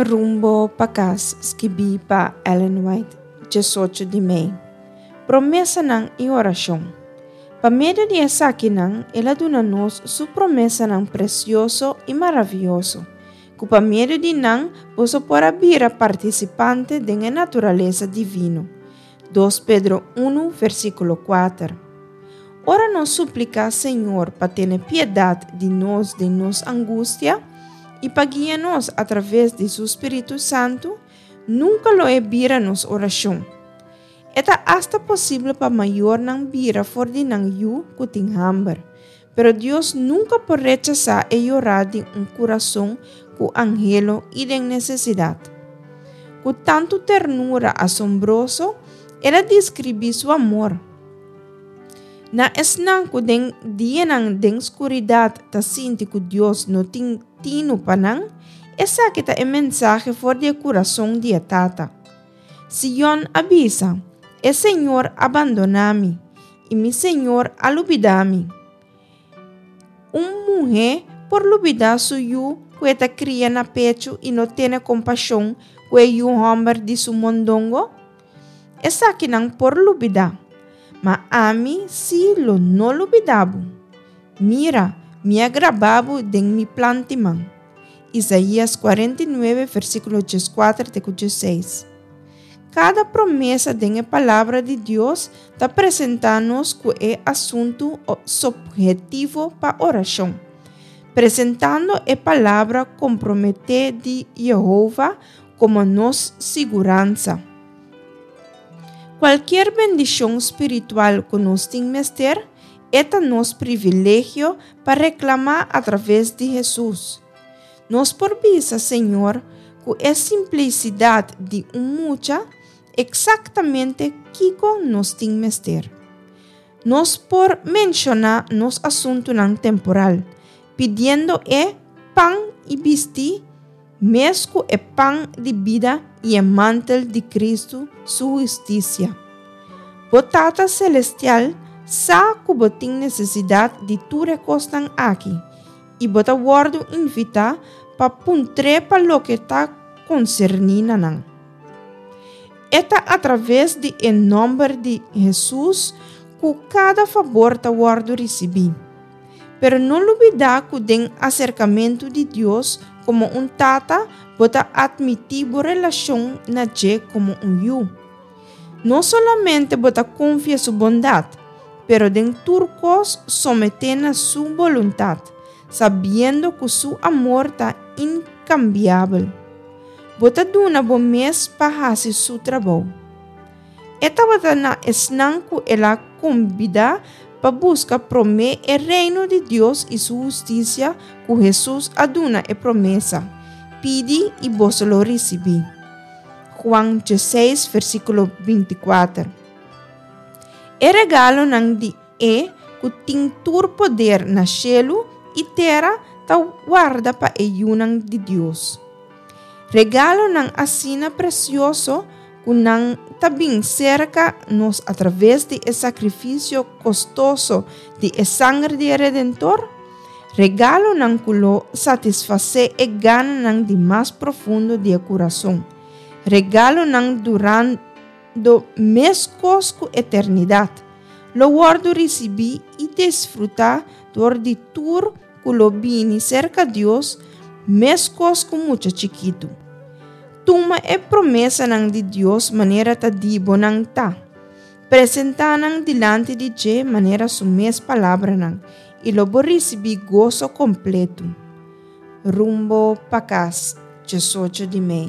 Rumbo pa kas, skibí pa Ellen White, 18 di mei. Promesanan i orashon. Pa medio di esakinan el a duna nos su promesanan presioso i maravioso, ku pa medio di nan boso por a bira partisipante den e naturalesa divino. 2 Pedro 1, versíkulo 4. Ora nos supliká Señor pa tene piedat di nos den nos angustia i pa guia nos atraves di su spiritu santu, nunka lo e bira nos orashon. E ta asta posibel pa mayornan bira for di nan yu ku tin hamber, pero Dios nunka por rechasá e yorá di un kurason ku anhelo i den nesesidat. Ku tantu ternura asombroso, el a deskribí su amor. Na esnan ku den dianan den skuridat ta sinti ku Dios no tin tinu pa nan, esaki ta e mensahe for di e kurason di e Tata. Sion a bisa, E Señor a bandoná mi, i mi Señor a lubidá mi. Un muhé por lubidá su yu ku e ta kria na pechu i no tene kompashon ku e yu hòmber di su mondongo? Esakinan por lubidá, ma ami sí lo no lubidá bo. Mira, mi a grabá bo den mi plant'i man. Isaías 49, versíkulo 14 te ku 16. Kada promesa den e Palabra di Dios ta presentá nos ku e asuntu sophetivo pa orashon, presentando e palabra komprometé di Yehova komo nos siguransa. Kualkier bendishon spiritual ku nos tin mester, e ta nos privilegio pa reklamá atraves di Hesus. Nos por bisa Señor ku e simplisidat di un mucha eksaktamente kiko nos tin mester. Nos por menshoná nos asuntunan temporal, pidiendo e pan i bistí mes ku e pan di bida i e mantel di Kristu su hustisia. Bo Tata Selestial sa ku bo tin nesesidat di tur e kosnan aki i bo ta wòrdu invitá pa puntr'é pa loke ta konserní na nan. E ta atraves di e nòmber di Hesus ku kada fabor ta wòrdu risibí. Pero no lubidá ku den aserkamentu di Dios komo un Tata bo ta atmití bo relashon na dje komo un yu. No solamente bo ta konfia su bondat, pero den tur kos someté na su boluntat, sabiendo ku su amor ta inkambiabel. Bo ta duna bo mes pa hasi su trabou. E tabata na esnan ku el a kombidá pa buska promé e Reino di Dios i su hustisia ku Hesus a duna e promesa, Pidi i boso lo risibí. Juan 16, versíkulo 24. E regalonan di e ku tin tur poder na shelu i tera ta warda pa e yunan di Dios. Regalonan asina presioso ku nan ta bin serka nos atraves di e sakrifisio kostoso di e sanger di e Redentor, regalonan ku lo satisfasé e gananan di mas profundo di e kurason, regalonan durando meskos ku eternidat, lo wòrdu risibí i disfrutá dor di tur ku lo bini serka Dios meskos ku mucha chikitu. Tuma e promesanan di Dios manera ta di bo nan ta. Presentá nan dilanti di dje manera su mes palabranan, i lo bo risibí goso kompletu. Rumbo pa kas, 18 di mei.